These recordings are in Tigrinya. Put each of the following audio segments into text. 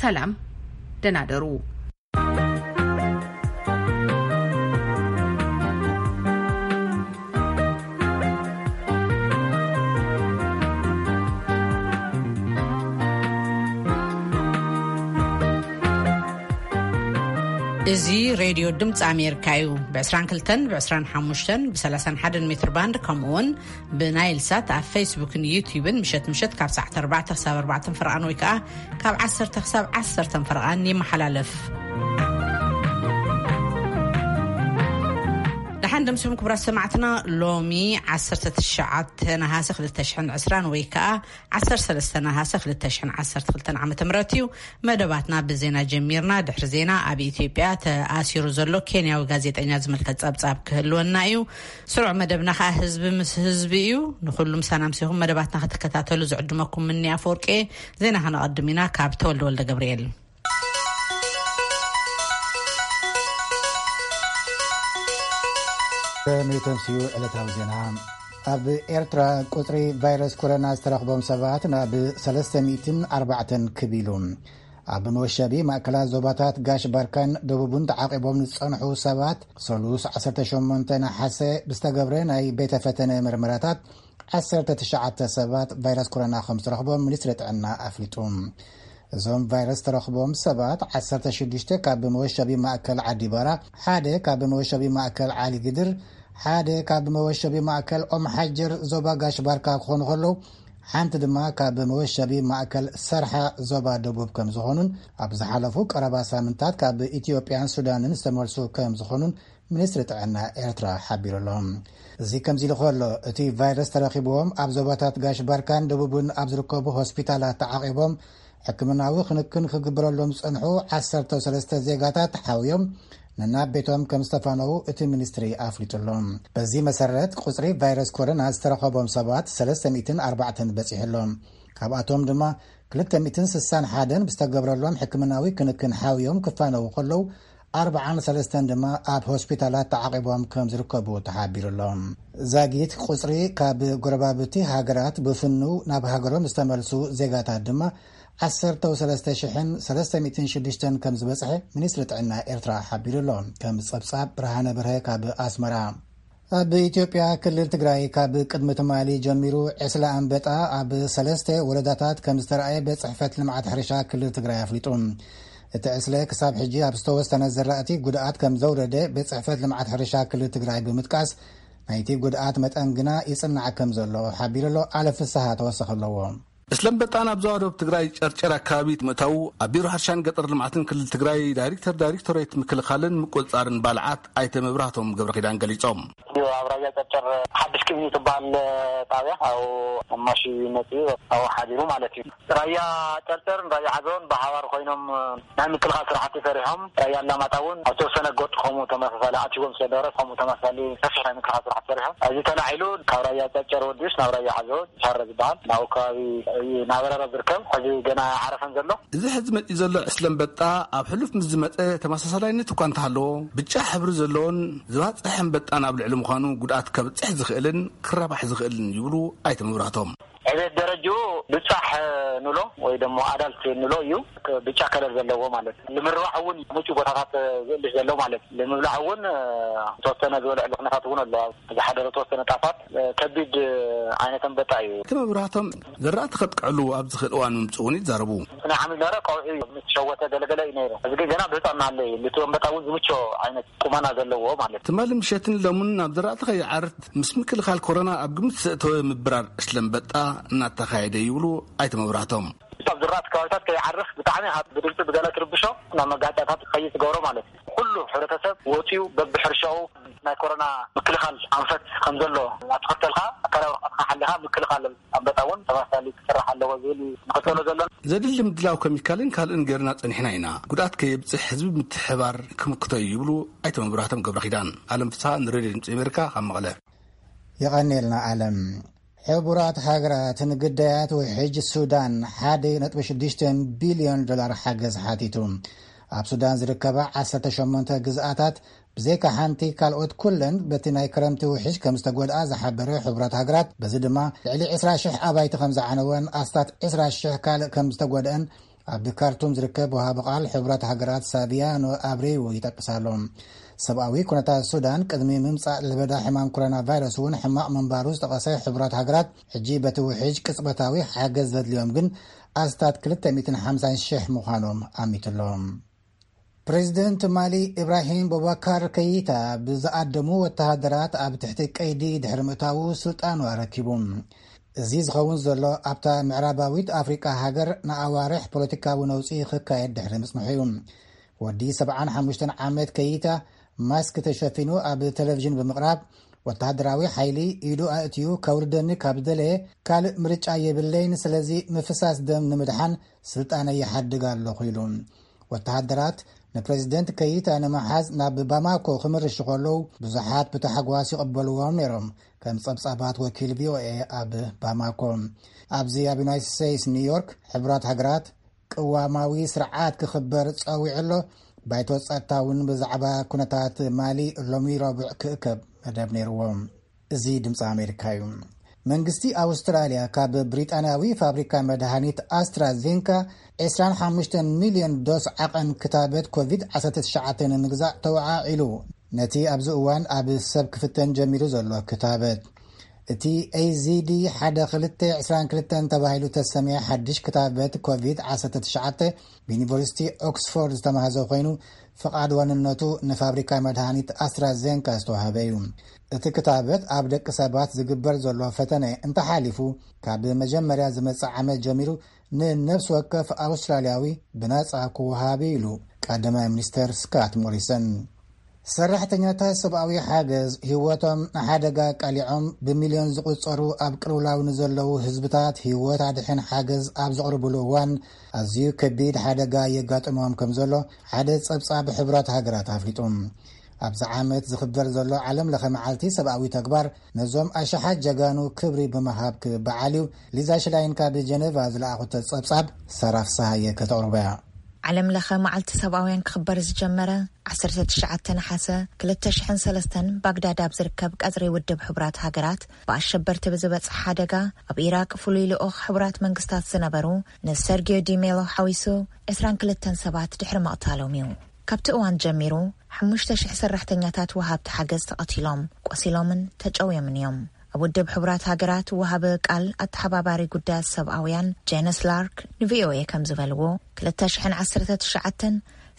ሰላም፣ ደህና ደሩ። እዚ ሬድዮ ድምፂ ኣሜሪካ እዩ። ብ22፣ ብ25፣ ብ31 ሜትር ባንድ፣ ከምኡ እውን ብናይል ሳት ኣብ ፌስቡክን ዩቲዩብን ምሸት ምሸት ካብ ሰዓት ኣርባዕተ ክሳብ ኣርባዕተ ፍርቓን ወይ ከዓ ካብ ዓሰርተ ክሳብ ዓሰርተ ፍርቓን ይመሓላለፍ። ደሓን ደምስኹም ክቡራት ሰማዕትና። ሎሚ ዓሰርተ ትሽዓተ ነሃሰ ክልተ ሽሕን ዕስራን ወይ ከዓ ዓሰርተ ሰለስተ ነሃሰ ክልተ ሽሕን ዓሰርተ ክልተን ዓመተ ምህረት እዩ። መደባትና ብዜና ጀሚርና። ድሕሪ ዜና፣ ኣብ ኢትዮጵያ ተኣሲሩ ዘሎ ኬንያዊ ጋዜጠኛ ዝምልከት ጸብጻብ ክህልወና እዩ። ስሩዕ መደብና ከኣ ህዝቢ ምስ ህዝቢ እዩ። ንኹሉ ምሳና ምሲኹም መደባትና ክትከታተሉ ዝዕድመኩም ምኒ ኣፈወርቂ። ዜና ከነቐድም ኢና ካብ ተወልደ ወልደ ገብርኤል። ተምስዩ ዕለታዊ ዜና። ኣብ ኤርትራ ቁጽሪ ቫይረስ ኮሮና ዝተረኽቦም ሰባት ናብ ሰለስተ ሚእትን ኣርባዕተን ክብ ኢሉ። ኣብ መወሸቢ ማእከላት ዞባታት ጋሽ ባርካን ደቡብን ተዓቂቦም ዝጸንሑ ሰባት፣ ሰሉስ ዓሰርተ ሸሞንተ ነሓሰ ብዝተገብረ ናይ ቤተ ፈተነ ምርመራታት፣ ዓሰርተ ትሽዓተ ሰባት ቫይረስ ኮሮና ከም ዝተረኽቦም ሚኒስትሪ ጥዕና ኣፍሊጡ። እዞም ቫይረስ ተረኽቦም ሰባት፣ ዓሰርተ ሽዱሽተ ካብ መወሸቢ ማእከል ዓዲባራ፣ ሓደ ካብ መወሸቢ ማእከል ዓሊ ግድር፣ ሓደ ካብ መወሸቢ ማእከል ኦም ሓጀር ዞባ ጋሽ ባርካ ክኾኑ ከለዉ፣ ሓንቲ ድማ ካብ መወሸቢ ማእከል ሰርሓ ዞባ ደቡብ ከም ዝኾኑን፣ ኣብ ዝሓለፉ ቀረባ ሳምንታት ካብ ኢትዮጵያን ሱዳንን ዝተመልሱ ከም ዝኾኑን ሚኒስትሪ ጥዕና ኤርትራ ሓቢሩ ኣሎ። እዚ ከምዚ ኢሉ ከሎ፣ እቲ ቫይረስ ተረኺብዎም ኣብ ዞባታት ጋሽ ባርካን ደቡብን ኣብ ዝርከቡ ሆስፒታላት ተዓቒቦም ሕክምናዊ ክንክን ክግበረሎም ዝጸንሑ ዓሰርተ ሰለስተ ዜጋታት ሓውዮም ነናብ ቤቶም ከም ዝተፋነዉ እቲ ሚኒስትሪ ኣፍሊጡ ኣሎ። በዚ መሰረት፣ ቁጽሪ ቫይረስ ኮሮና ዝተረኸቦም ሰባት ሰለስተ ሚእትን ኣርባዕተን በጺሑ ኣሎ። ካብኣቶም ድማ ክልተ ሚእትን ስሳን ሓደን ብዝተገብረሎም ሕክምናዊ ክንክን ሓውዮም ክፋነዉ ከለዉ፣ ኣርባዓን ሰለስተን ድማ ኣብ ሆስፒታላት ተዓቒቦም ከም ዝርከቡ ተሓቢሩ ኣሎ። ዛጊት ቁጽሪ ካብ ጎረባብቲ ሃገራት ብፍኑ ናብ ሃገሮም ዝተመልሱ ዜጋታት ድማ ዓሰርተ ሰለስተ ሽሕን ሰለስተ ሚእትን ሽዱሽተን ከም ዝበጽሐ ሚኒስትሪ ጥዕና ኤርትራ ሓቢሩ ኣሎ። ከም ጸብጻብ ብርሃነ በርሀ ካብ ኣስመራ። ኣብ ኢትዮጵያ ክልል ትግራይ ካብ ቅድሚ ትማሊ ጀሚሩ ዕስለ ኣንበጣ ኣብ ሰለስተ ወረዳታት ከም ዝተረኣየ ቤት ጽሕፈት ልምዓት ሕርሻ ክልል ትግራይ ኣፍሊጡ። እቲ ዕስለ ክሳብ ሕጂ ኣብ ዝተወሰነ ዘራእቲ ጉድኣት ከም ዘውረደ ቤት ጽሕፈት ልምዓት ሕርሻ ክልል ትግራይ ብምጥቃስ፣ ናይቲ ጉድኣት መጠን ግና ይጽናዕ ከም ዘሎ ሓቢሩ ኣሎ። ኣለ ፍስሃ ተወሰኸ ኣለዎ። እስለምበጣ ናብ ዞባ ደቡብ ትግራይ ጨርጨር ኣካባቢ ምእታዉ ኣብ ቢሮ ሕርሻን ገጠር ልምዓትን ክልል ትግራይ ዳይሬክተር ዳይሬክቶሬት ምክልኻልን ምቁፅፃርን ባልዓት ኣይተ መብራህቶም ገብረ ኪዳን ገሊፆም። ኣብ ራያ ጨርጨር ሓድሽ ቅብኒ ትበሃል ጣብያ ኣብኡ ማሺ መፅኡ ኣብኡ ሓዲሩ ማለት እዩ። ራያ ጨርጨርን ራያ ዓዘቦን ብሓባር ኮይኖም ናይ ምክልኻል ስራሕቲ ሰሪሖም። ራያ ኣላማጣ እውን ኣብ ተወሰነ ጎጥ ከምኡ ተመሳሳሊ ኣትዎም ስለ ነበረ ከምኡ ተመሳሳሊ ሰፊሕ ናይ ምክልኻል ስራሕቲ ሰሪሖም። እዚ ተላዒሉ ካብ ራያ ጨርጨር ወዲኡስ ናብ ራያ ዓዘቦ ሻረ ዝበሃል ናብኡ ከባቢ እዩ እናበረረ ዝርከብ። ሕዚ ገና ኣይዓረፈን ዘሎ። እዚ ሕዚ መፂኡ ዘሎ ዕስለ ኣንበጣ ኣብ ሕሉፍ ምስ ዝመፀ ተመሳሳላይነት እኳ እንተሃለዎ፣ ብጫ ሕብሪ ዘለዎን ዝባፅሕ ኣንበጣን ኣብ ልዕሊ ምዃኑ ጉድኣት ከብፅሕ ዝኽእልን ክረባሕ ዝኽእልን ይብሉ ኣይተ መብራህቶም። ዕቤት ደረጅኡ ብጻሕ ንሎ ወይ ደሞ ኣዳልት ንሎ እዩ። ብጫ ከለር ዘለዎ ማለት እዩ። ንምርባሕ እውን ምቹ ቦታታት ዝእልሽ ዘሎ ማለት እዩ። ንምብላዕ እውን ዝተወሰነ ዝበልዕሉ ኩነታት እውን ኣሎ። ዝሓደረ ተወሰነ ጣፋት ከቢድ ዓይነት ኣንበጣ እዩ። እቲ መብራህቶም ዘራእቲ ከጥቅዕሉ ኣብ ዝኽእል እዋን ምምፅኡ እውን ይዛረቡ። ናይ ሓምሊ ነበረ ቀውዒ ምስ ሸወተ ገለገለ እዩ ነይሩ። እዚ ግን ገና ብህፃን እናሃለ እዩ። ልቲ ኣንበጣ እውን ዝምቾ ዓይነት ቁመና ዘለዎ ማለት እዩ። ትማሊ ምሸትን ለሙን ናብ ዘራእቲ ከይዓርት ምስ ምክልኻል ኮሮና ኣብ ግምት ዘእተወ ምብራር ዕስለ ኣንበጣ እናተኻየደ ይብሉ ኣይተ መብራህቶም። ኣብ ዝራእቲ ከባቢታት ከይዓርፍ ብጣዕሚ ካብ ብድምፂ ብገለ ትርብሾ ናብ መጋጫታት ክኸይድ ትገብሮ ማለት እዩ። ኩሉ ሕብረተሰብ ወፂኡ በብሕርሻኡ ናይ ኮሮና ምክልኻል ኣንፈት ከም ዘሎ እናተኸተልካ ኣካላዊ ርሕቐትካ ሓሊኻ ምክልኻል ኣንበጣ እውን ተመሳሳሊ ክስራሕ ኣለዎ ዝብል እዩ ንኽተሎ ዘሎና። ዘድሊ ምድላው ኬሚካልን ካልእን ገይርና ጸኒሕና ኢና። ጉድኣት ከየብጽሕ ህዝቢ ምትሕባር ክምክቶ እዩ ይብሉ ኣይተ መብራህቶም ገብረ ኪዳን። ኣለም ፍስሃ ንሬድዮ ድምፂ ኣሜሪካ ካብ መቐለ። የቐንየልና ኣለም። ሕቡራት ሃገራት ንግዳያት ውሕጅ ሱዳን ሓደ ነጥቢ ሽዱሽተ ቢልዮን ዶላር ሓገዝ ሓቲቱ። ኣብ ሱዳን ዝርከባ ዓሰርተ ሸሞንተ ግዝኣታት ብዘይካ ሓንቲ ካልኦት ኩለን በቲ ናይ ክረምቲ ውሕጅ ከም ዝተጎድኣ ዝሓበረ ሕቡራት ሃገራት፣ በዚ ድማ ልዕሊ ዕስራ ሽሕ ኣባይቲ ከም ዝዓነወን ኣስታት ዕስራ ሽሕ ካልእ ከም ዝተጎድአን ኣብ ካርቱም ዝርከብ ወሃቢ ቃል ሕቡራት ሃገራት ሳቪያኖ ኣብሬዎ ይጠቅስ ኣሎ። ሰብኣዊ ኩነታት ሱዳን ቅድሚ ምምጻእ ለበዳ ሕማም ኮሮና ቫይረስ እውን ሕማቕ ምንባሩ ዝጠቐሰ ሕቡራት ሃገራት፣ ሕጂ በቲ ውሕጅ ቅጽበታዊ ሓገዝ ዘድልዮም ግን ኣስታት ክልተ ሚእትን ሓምሳን ሽሕ ምዃኖም ኣሚቱ ኣሎ። ፕሬዚደንት ማሊ ኢብራሂም ቦባካር ከይታ ብዝኣደሙ ወተሃደራት ኣብ ትሕቲ ቀይዲ ድሕሪ ምእታዉ ስልጣኑ ኣረኪቡ። እዚ ዝኸውን ዘሎ ኣብታ ምዕራባዊት ኣፍሪቃ ሃገር ንኣዋርሕ ፖለቲካዊ ነውጺ ክካየድ ድሕሪ ምጽንሑ እዩ። ወዲ ሰብዓን ሓሙሽተን ዓመት ከይታ ማስክ ተሸፊኑ ኣብ ቴሌቪዥን ብምቕራብ፣ ወተሃደራዊ ሓይሊ ኢዱ ኣእትዩ ከውርደኒ ካብ ደለየ ካልእ ምርጫ የብለይን፣ ስለዚ ምፍሳስ ደም ንምድሓን ስልጣነይ ይሓድግ ኣለኹ ኢሉ። ወተሃደራት ንፕሬዚደንት ከይታ ንምሓዝ ናብ ባማኮ ክምርሹ ከለዉ ብዙሓት ብታሕጓስ ይቕበልዎም ነይሮም፣ ከም ጸብጻባት ወኪል ቪኦኤ ኣብ ባማኮ። ኣብዚ ኣብ ዩናይትድ ስቴትስ ኒውዮርክ ሕቡራት ሃገራት ቅዋማዊ ስርዓት ክኽበር ጸዊዑ ኣሎ። ባይቶ ጸጥታ እውን ብዛዕባ ኩነታት ማሊ ሎሚ ረቡዕ ክእከብ መደብ ነይርዎ። እዚ ድምፂ ኣሜሪካ እዩ። መንግስቲ ኣውስትራልያ ካብ ብሪጣንያዊ ፋብሪካ መድሃኒት ኣስትራዜንካ ዕስራን ሓሙሽተን ሚልዮን ዶስ ዓቐን ክታበት ኮቪድ ዓሰርተ ትሽዓተ ንምግዛእ ተወዓዒሉ። ነቲ ኣብዚ እዋን ኣብ ሰብ ክፍተን ጀሚሩ ዘሎ ክታበት፣ እቲ ኤዚዲ ሓደ ክልተ ዕስራን ክልተን ተባሂሉ ተሰምየ ሓድሽ ክታበት ኮቪድ ዓሰርተ ትሽዓተ ብዩኒቨርሲቲ ኦክስፎርድ ዝተማህዘ ኮይኑ፣ ፍቓድ ዋንነቱ ንፋብሪካ መድሃኒት ኣስትራዜንካ ዝተዋህበ እዩ። እቲ ክታበት ኣብ ደቂ ሰባት ዝግበር ዘሎ ፈተነ እንተሓሊፉ፣ ካብ መጀመርያ ዝመጽእ ዓመት ጀሚሩ ንነፍሲ ወከፍ ኣውስትራልያዊ ብናጻ ክወሃብ እዩ ኢሉ ቀዳማይ ሚኒስተር ስካት ሞሪሰን። ሰራሕተኛታት ሰብኣዊ ሓገዝ ህይወቶም ንሓደጋ ኣቃሊዖም ብሚልዮን ዝቑጸሩ ኣብ ቅልውላው ንዘለዉ ህዝብታት ህይወት ኣድሕን ሓገዝ ኣብ ዘቕርብሉ እዋን፣ ኣዝዩ ከቢድ ሓደጋ የጋጥሞም ከም ዘሎ ሓደ ጸብጻብ ሕቡራት ሃገራት ኣፍሊጡ። ኣብዚ ዓመት ዝኽበር ዘሎ ዓለም ለኸ መዓልቲ ሰብኣዊ ተግባር ነዞም ኣሽሓት ጀጋኑ ክብሪ ብምሃብ ክበዓል እዩ። ሊዛ ሽላይን ካብ ጀነቫ ዝለኣኹቶ ጸብጻብ ሳራ ፍስሃየ ከተቕርቦ እያ። ዓለም ለኸ መዓልቲ ሰብኣውያን ክኽበር ዝጀመረ ዓሰርተ ትሽዓተ ነሓሰ ክልተ ሽሕን ሰለስተን ባግዳድ ኣብ ዝርከብ ቀጽሪ ውድብ ሕቡራት ሃገራት ብኣሸበርቲ ብዝበጽሕ ሓደጋ ኣብ ኢራቅ ፍሉይ ልኡኽ ሕቡራት መንግስታት ዝነበሩ ንሰርጊዮ ዲሜሎ ሓዊሱ ዕስራን ክልተን ሰባት ድሕሪ ምቕታሎም እዩ። ካብቲ እዋን ጀሚሩ ሓሙሽተ ሽሕ ሰራሕተኛታት ወሃብቲ ሓገዝ ተቐቲሎም፣ ቆሲሎምን ተጨውዮምን እዮም። ኣብ ውድብ ሕቡራት ሃገራት ወሃቢ ቃል ኣተሓባባሪ ጉዳያት ሰብኣውያን ጄነስ ላርክ ንቪኦኤ ከም ዝበልዎ፣ ክልተ ሽሕን ዓሰርተ ትሽዓተን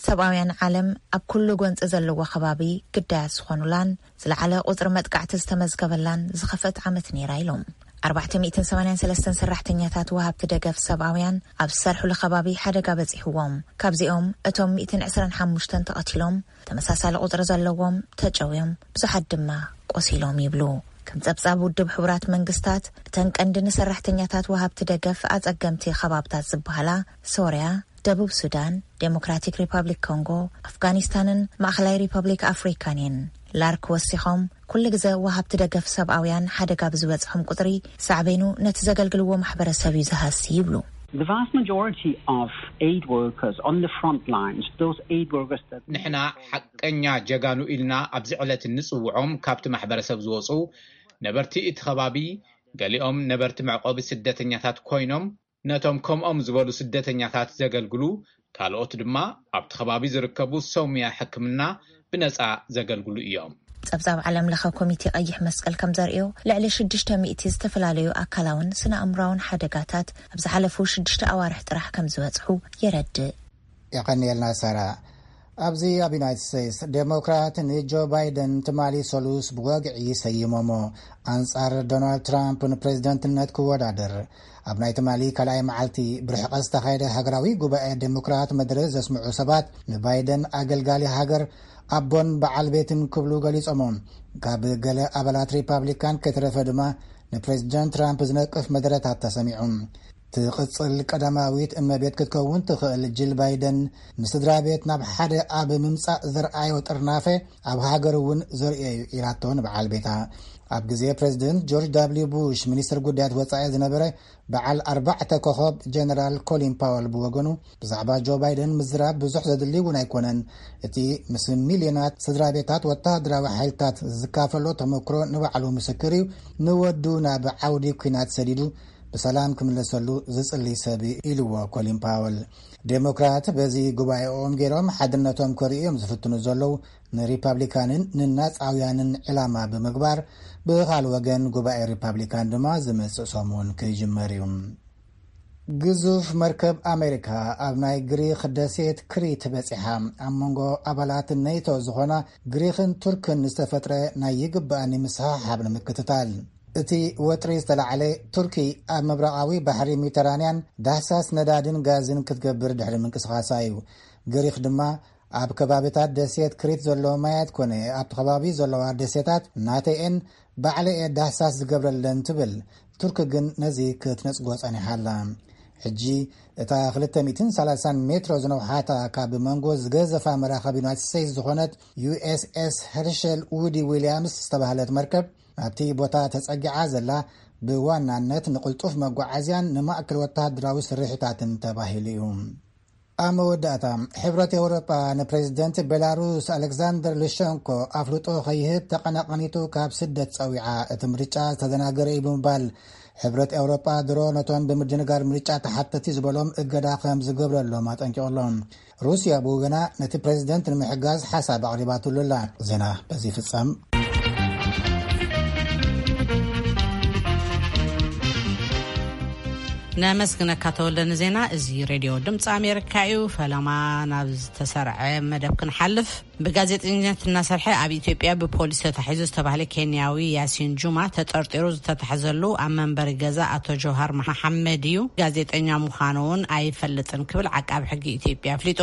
ሰብኣውያን ዓለም ኣብ ኩሉ ጎንፂ ዘለዎ ከባቢ ግዳያት ዝኾኑላን ዝለዓለ ቁፅሪ መጥቃዕቲ ዝተመዝገበላን ዝኸፍአት ዓመት ነይራ ኢሎም። ኣርባዕተ ሚእትን ሰማንያን ሰለስተን ሰራሕተኛታት ወሃብቲ ደገፍ ሰብኣውያን ኣብ ዝሰርሕሉ ከባቢ ሓደጋ በፂሕዎም። ካብዚኦም እቶም ሚእትን ዕስራን ሓሙሽተን ተቐቲሎም፣ ተመሳሳሊ ቁፅሪ ዘለዎም ተጨውዮም፣ ብዙሓት ድማ ቆሲሎም ይብሉ። ከም ጸብጻብ ውድብ ሕቡራት መንግስታት፣ እተን ቀንዲ ንሰራሕተኛታት ወሃብቲ ደገፍ ኣጸገምቲ ከባብታት ዝበሃላ ሶርያ፣ ደቡብ ሱዳን፣ ዴሞክራቲክ ሪፐብሊክ ኮንጎ፣ ኣፍጋኒስታንን ማእኸላይ ሪፐብሊክ ኣፍሪካን እየን። ላርክ ወሲኾም፣ ኩሉ ግዘ ወሃብቲ ደገፍ ሰብኣውያን ሓደጋ ብዝበጽሖም ቁጽሪ፣ ሳዕቤኑ ነቲ ዘገልግልዎ ማሕበረሰብ እዩ ዝሃሲ ይብሉ። The vast majority of aid workers on the front lines, those aid workers that ንሕና ሓቀኛ ጀጋኑ ኢልና ኣብዚ ዕለት እንጽውዖም፣ ካብቲ ማሕበረሰብ ዝወጹ ነበርቲ እቲ ከባቢ፣ ገሊኦም ነበርቲ መዕቆቢ ስደተኛታት ኮይኖም፣ ነቶም ከምኦም ዝበሉ ስደተኛታት ዘገልግሉ፣ ካልኦት ድማ ኣብቲ ከባቢ ዝርከቡ ሰውምያ ሕክምና ብነጻ ዘገልግሉ እዮም። ጸብጻብ ዓለም ለኸ ኮሚቴ ቀይሕ መስቀል ከም ዘርእዮ፣ ልዕሊ ሽዱሽተ ሚእቲ ዝተፈላለዩ ኣካላውን ስነ ኣእምራውን ሓደጋታት ኣብ ዝሓለፉ ሽዱሽተ ኣዋርሕ ጥራሕ ከም ዝበጽሑ የረድእ። የቐንየልና ሳራ። ኣብዚ ኣብ ዩናይትድ ስቴትስ፣ ዴሞክራት ንጆ ባይደን ትማሊ ሰሉስ ብወግዒ ሰይሞሞ። ኣንጻር ዶናልድ ትራምፕ ንፕሬዝደንትነት ክወዳደር ኣብ ናይ ትማሊ ካልኣይ መዓልቲ ብርሕቐት ዝተኻየደ ሃገራዊ ጉባኤ ዴሞክራት መደረ ዘስምዑ ሰባት፣ ንባይደን ኣገልጋሊ ሃገር፣ ኣቦን በዓል ቤትን ክብሉ ገሊጾሞ። ካብ ገለ ኣባላት ሪፓብሊካን ከይተረፈ ድማ ንፕሬዝደንት ትራምፕ ዝነቅፍ መደረታት ተሰሚዑ። ትቕጽል ቀዳማዊት እመቤት ክትከውን ትኽእል ጂል ባይደን፣ ንስድራ ቤት ናብ ሓደ ኣብ ምምጻእ ዘርኣዮ ጥርናፈ ኣብ ሃገር እውን ዘርእዮ እዩ ኢላቶ ንበዓል ቤታ። ኣብ ግዜ ፕሬዝደንት ጆርጅ ዳብሊው ቡሽ ሚኒስትር ጉዳያት ወጻኢ ዝነበረ በዓል ኣርባዕተ ኮኸብ ጀነራል ኮሊን ፓወል ብወገኑ፣ ብዛዕባ ጆ ባይደን ምዝራብ ብዙሕ ዘድሊ እውን ኣይኮነን። እቲ ምስ ሚልዮናት ስድራ ቤታት ወተሃደራዊ ሓይልታት ዝካፈሎ ተመክሮ ንባዕሉ ምስክር እዩ። ንወዱ ናብ ዓውዲ ኲናት ሰዲዱ ብሰላም ክምለሰሉ ዝጽሊ ሰብ ኢልዎ ኮሊን ፓወል። ዴሞክራት በዚ ጉባኤኦም ገይሮም ሓድነቶም ከርእዩ እዮም ዝፍትኑ ዘለዉ። ንሪፓብሊካንን ንናጻውያንን ዕላማ ብምግባር፣ ብኻል ወገን ጉባኤ ሪፓብሊካን ድማ ዝመጽእ ሰሙን ክጅመር እዩ። ግዙፍ መርከብ ኣሜሪካ ኣብ ናይ ግሪክ ደሴት ክሪት በጺሓ። ኣብ መንጎ ኣባላት ኔቶ ዝኾና ግሪክን ቱርክን ዝተፈጥረ ናይ ይግባኣኒ ምስሕሓብ ንምክትታል፣ እቲ ወጥሪ ዝተላዕለ፣ ቱርኪ ኣብ ምብራቓዊ ባሕሪ ሜዲተራንያን ዳህሳስ ነዳድን ጋዝን ክትገብር ድሕሪ ምንቅስቓሳ እዩ። ግሪክ ድማ ኣብ ከባቢታት ደሴት ክሪት ዘሎ ማያት ኮነ ኣብቲ ከባቢ ዘለዋ ደሴታት ናተይኤን ባዕለኤ ዳህሳስ ዝገብረለን ትብል። ቱርኪ ግን ነዚ ክትነጽጎ ጸኒሓ ኣላ። ሕጂ እታ ክልተ ሚእትን ሰላሳን ሜትሮ ዝነውሓታ ካብ መንጎ ዝገዘፋ መራኸብ ዩናይትድ ስቴትስ ዝኾነት ዩ ኤስ ኤስ ሄርሸል ውዲ ዊልያምስ ዝተባህለት መርከብ ናብቲ ቦታ ተጸጊዓ ዘላ ብዋናነት ንቕልጡፍ መጓዓዝያን ንማእከል ወተሃደራዊ ስርሒታትን ተባሂሉ እዩ። ኣብ መወዳእታ፣ ሕብረት ኤውሮጳ ንፕሬዚደንት ቤላሩስ ኣሌክዛንደር ሉሸንኮ ኣፍልጦ ከይህብ ተቐናቐኒቱ ካብ ስደት ጸዊዓ፣ እቲ ምርጫ ዝተደናገረ እዩ ብምባል፣ ሕብረት ኤውሮጳ ድሮ ነቶም ብምድንጋር ምርጫ ተሓተቲ ዝበሎም እገዳ ከም ዝገብረሎም ኣጠንቂቑ ኣሎ። ሩስያ ብወገና ነቲ ፕሬዚደንት ንምሕጋዝ ሓሳብ ኣቕሪባትሉ ኣላ። ዜና በዚ ይፍጸም። ነመስግነካ ተወልደ ንዜና። እዚ ሬድዮ ድምፂ ኣሜሪካ እዩ። ፈለማ ናብ ዝተሰርዐ መደብ ክንሓልፍ። ብጋዜጠኝነት እናሰርሐ ኣብ ኢትዮጵያ ብፖሊስ ተታሒዙ ዝተባህለ ኬንያዊ ያሲን ጁማ ተጠርጢሩ ዝተታሕዘሉ ኣብ መንበሪ ገዛ ኣቶ ጆሃር መሓመድ እዩ። ጋዜጠኛ ምዃኑ እውን ኣይፈልጥን ክብል ዓቃቢ ሕጊ ኢትዮጵያ ኣፍሊጡ።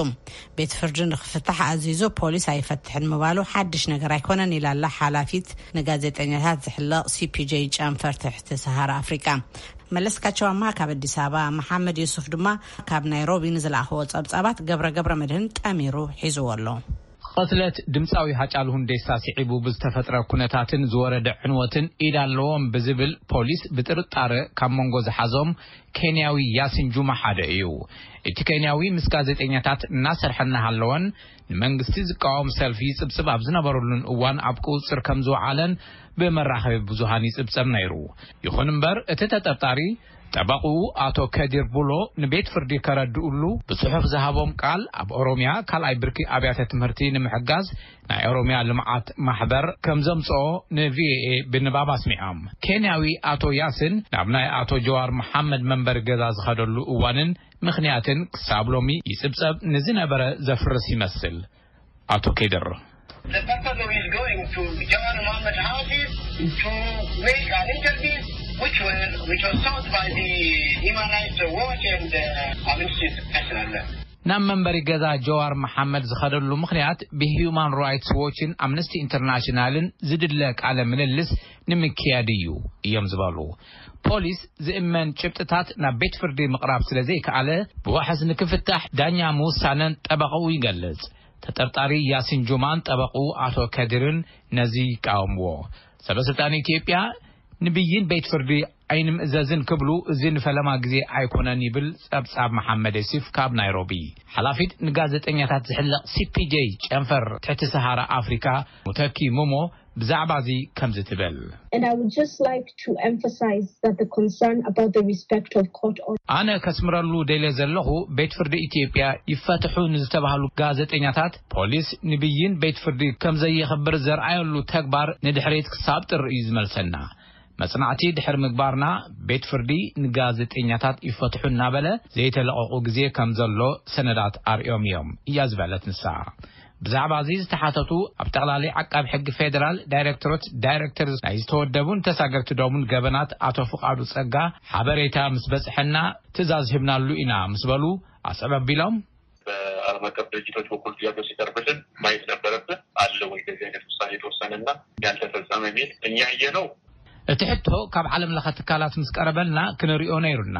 ቤት ፍርዲ ንክፍታሕ ኣዚዙ ፖሊስ ኣይፈትሕን ምባሉ ሓድሽ ነገር ኣይኮነን ኢላላ ሓላፊት ንጋዜጠኛታት ዝሕለቕ ሲፒጄ ጨንፈር ትሕቲ ሰሃራ ኣፍሪቃ። መለስካቸው ኣማሃ ካብ ኣዲስ ኣበባ፣ መሓመድ ዩሱፍ ድማ ካብ ናይሮቢ ንዝለኣኽዎ ጸብጻባት ገብረ ገብረ መድህን ጠሚሩ ሒዝዎ ኣሎ። ቐትለት ድምፃዊ ሃጫሉ ሁንዴሳ ስዒቡ ብዝተፈጥረ ኩነታትን ዝወረደ ዕንወትን ኢድ ኣለዎም ብዝብል ፖሊስ ብጥርጣረ ካብ መንጎ ዝሓዞም ኬንያዊ ያሲን ጁማ ሓደ እዩ። እቲ ኬንያዊ ምስ ጋዜጠኛታት እናሰርሐ እናሃለወን ንመንግስቲ ዝቃወም ሰልፊ ይጽብጽብ ኣብ ዝነበረሉን እዋን ኣብ ቁጽር ከም ዝወዓለን ብመራኸቢ ብዙሃን ይጽብጸብ ነይሩ። ይኹን እምበር እቲ ተጠርጣሪ ጠበቕኡ ኣቶ ከዲር ቡሎ ንቤት ፍርዲ ከረድኡሉ ብጽሑፍ ዝሃቦም ቃል ኣብ ኦሮሚያ ካልኣይ ብርኪ ኣብያተ ትምህርቲ ንምሕጋዝ ናይ ኦሮሚያ ልምዓት ማሕበር ከም ዘምጽኦ ንቪኦኤ ብንባብ ኣስሚዖም። ኬንያዊ ኣቶ ያስን ናብ ናይ ኣቶ ጀዋር መሓመድ መንበሪ ገዛ ዝኸደሉ እዋንን ምኽንያትን ክሳብ ሎሚ ይጽብጸብ ንዝነበረ ዘፍርስ ይመስል። ኣቶ ኬድር The purpose of his going to Jawar Mohammed house is to make an interview which were which was sought by the Human Rights Watch and uh, Amnesty International. ናብ መንበሪ ገዛ ጀዋር መሓመድ ዝኸደሉ ምኽንያት ብሂዩማን ራይትስ ዎችን ኣምነስቲ ኢንተርናሽናልን ዝድለ ቃለ ምልልስ ንምክያድ እዩ እዮም ዝበሉ። ፖሊስ ዝእመን ጭብጥታት ናብ ቤት ፍርዲ ምቕራብ ስለ ዘይከኣለ ብዋሕስ ንክፍታሕ ዳኛ ምውሳነን ጠበቐኡ ይገልጽ። ተጠርጣሪ ያሲን ጁማን ጠበቕኡ ኣቶ ከዲርን ነዚ ይቃወምዎ። ሰበስልጣን ኢትዮጵያ ንብይን ቤት ፍርዲ ኣይንምእዘዝን ክብሉ እዚ ንፈለማ ግዜ ኣይኮነን ይብል ጸብጻብ መሓመድ የሲፍ ካብ ናይሮቢ። ሓላፊት ንጋዜጠኛታት ዝሕለቕ ሲፒጄ ጨንፈር ትሕቲ ሰሃራ ኣፍሪካ ሙተኪ ሙሞ ብዛዕባ እዚ ከምዚ ትብል። And I would just like to emphasize that the concern about the respect of court orders. ኣነ ከስምረሉ ደልየ ዘለኹ ቤት ፍርዲ ኢትዮጵያ ይፈትሑ ንዝተባህሉ ጋዜጠኛታት ፖሊስ ንብይን ቤት ፍርዲ ከም ዘየኽብር ዘርኣየሉ ተግባር ንድሕሪት ክሳብ ጥሪ እዩ ዝመልሰና። መጽናዕቲ ድሕሪ ምግባርና ቤት ፍርዲ ንጋዜጠኛታት ይፈትሑ እናበለ ዘይተለቐቑ ግዜ ከም ዘሎ ሰነዳት ኣርእዮም እዮም እያ ዝበለት ንሳ። ብዛዕባ እዚ ዝተሓተቱ ኣብ ጠቕላሊ ዓቃቢ ሕጊ ፌደራል ዳይሬክቶሬት ዳይሬክተር ናይ ዝተወደቡን ተሳገርትዶምን ገበናት ኣቶ ፍቓዱ ጸጋ ሓበሬታ ምስ በጽሐና ትእዛዝ ሂብናሉ ኢና ምስ በሉ ኣስዕብ ኣቢሎም። በዓለም አቀፍ ድርጅቶች በኩል ጥያቄው ሲቀርብልን ማየት ነበረብን። አለ ወይ እንደዚህ አይነት ውሳኔ የተወሰነና ያልተፈጸመ የሚል እኛ ያየነው እቲ ሕቶ ካብ ዓለም ለኸ ትካላት ምስ ቀረበልና ክንሪኦ ነይሩና።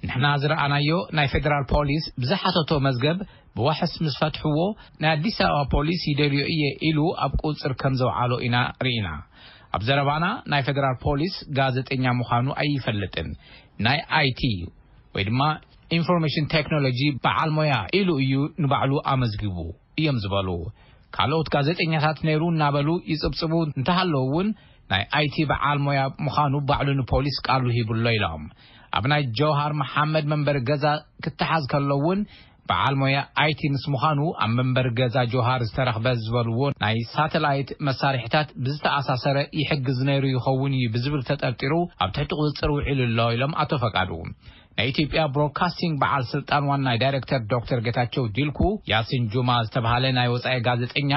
ንሕና ዝረኣናዮ ናይ ፌደራል ፖሊስ ብዝሓተቶ መዝገብ ብዋሕስ ምስ ፈትሕዎ ናይ ኣዲስ ኣበባ ፖሊስ ይደልዮ እየ ኢሉ ኣብ ቁፅፅር ከም ዘውዓሎ ኢና ርኢና። ኣብ ዘረባና ናይ ፌደራል ፖሊስ ጋዜጠኛ ምዃኑ ኣይፈልጥን፣ ናይ ኣይቲ ወይ ድማ ኢንፎርሜሽን ቴክኖሎጂ በዓል ሞያ ኢሉ እዩ ንባዕሉ ኣመዝጊቡ እዮም ዝበሉ። ካልኦት ጋዜጠኛታት ነይሩ እናበሉ ይጽብጽቡ እንተሃለዉ እውን ናይ ኣይቲ በዓል ሞያ ምዃኑ ባዕሉ ንፖሊስ ቃሉ ሂቡ ኣሎ ኢሎም። ኣብ ናይ ጀውሃር መሓመድ መንበሪ ገዛ ክተሓዝ ከሎ እውን በዓል ሞያ ኣይቲ ምስ ምዃኑ ኣብ መንበሪ ገዛ ጆሃር ዝተረኽበ ዝበልዎ ናይ ሳተላይት መሳርሒታት ብዝተኣሳሰረ ይሕግዝ ነይሩ ይኸውን እዩ ብዝብል ተጠርጢሩ ኣብ ትሕቲ ቁፅፅር ውዒሉ ኣሎ ኢሎም ኣቶ ፈቃዱ። ናይ ኢትዮጵያ ብሮድካስቲንግ በዓል ስልጣን ዋና ዳይሬክተር ዶክተር ጌታቸው ዲልኩ ያሲን ጁማ ዝተባሃለ ናይ ወፃኢ ጋዜጠኛ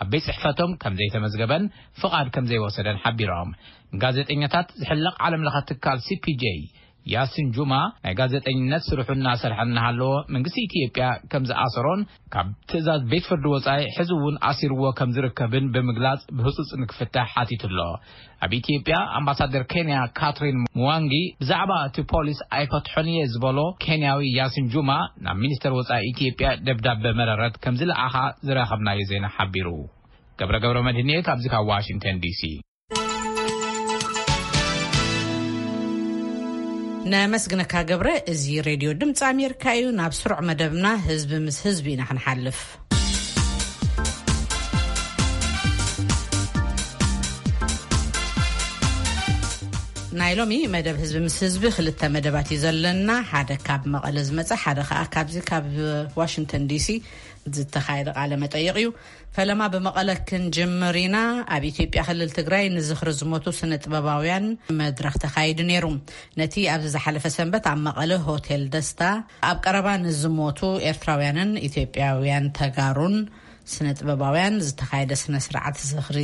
ኣብ ቤት ጽሕፈቶም ከም ዘይተመዝገበን ፍቓድ ከም ዘይወሰደን ሓቢሮም። ንጋዜጠኛታት ዝሕለቕ ዓለም ለኸ ትካል ሲ ፒ ጄ ያሲን ጁማ ናይ ጋዜጠኝነት ስርሑ እናሰርሐ እናሃለዎ መንግስቲ ኢትዮጵያ ከም ዝኣሰሮን ካብ ትእዛዝ ቤት ፍርዲ ወጻኢ ሕዚ እውን ኣሲርዎ ከም ዝርከብን ብምግላጽ ብህጹጽ ንክፍታሕ ሓቲቱ ኣሎ። ኣብ ኢትዮጵያ ኣምባሳደር ኬንያ ካትሪን ሙዋንጊ ብዛዕባ እቲ ፖሊስ ኣይፈትሖን እየ ዝበሎ ኬንያዊ ያሲን ጁማ ናብ ሚኒስተር ወጻኢ ኢትዮጵያ ደብዳበ መረረት ከም ዝለኣኻ ዝረኸብናዮ ዜና ሓቢሩ። ገብረ ገብረ መድህን እየ ካብዚ ካብ ዋሽንግተን ዲ ሲ። ነመስግነካ ገብረ። እዚ ሬድዮ ድምፂ ኣሜሪካ እዩ። ናብ ስሩዕ መደብና ህዝቢ ምስ ህዝቢ ኢና ክንሓልፍ። ናይ ሎሚ መደብ ህዝቢ ምስ ህዝቢ ክልተ መደባት እዩ ዘለና። ሓደ ካብ መቐለ ዝመፀ፣ ሓደ ከዓ ካብዚ ካብ ዋሽንግተን ዲሲ ዝተኻየደ ቃለ መጠይቕ እዩ። ፈለማ ብመቐለ ክንጅምር ኢና። ኣብ ኢትዮጵያ ክልል ትግራይ ንዝኽሪ ዝሞቱ ስነ ጥበባውያን መድረኽ ተኻይዱ ነይሩ። ነቲ ኣብዚ ዝሓለፈ ሰንበት ኣብ መቐለ ሆቴል ደስታ ኣብ ቀረባ ንዝሞቱ ኤርትራውያንን ኢትዮጵያውያን ተጋሩን ስነ ጥበባውያን ዝተኻየደ ስነ ስርዓት ዝኽሪ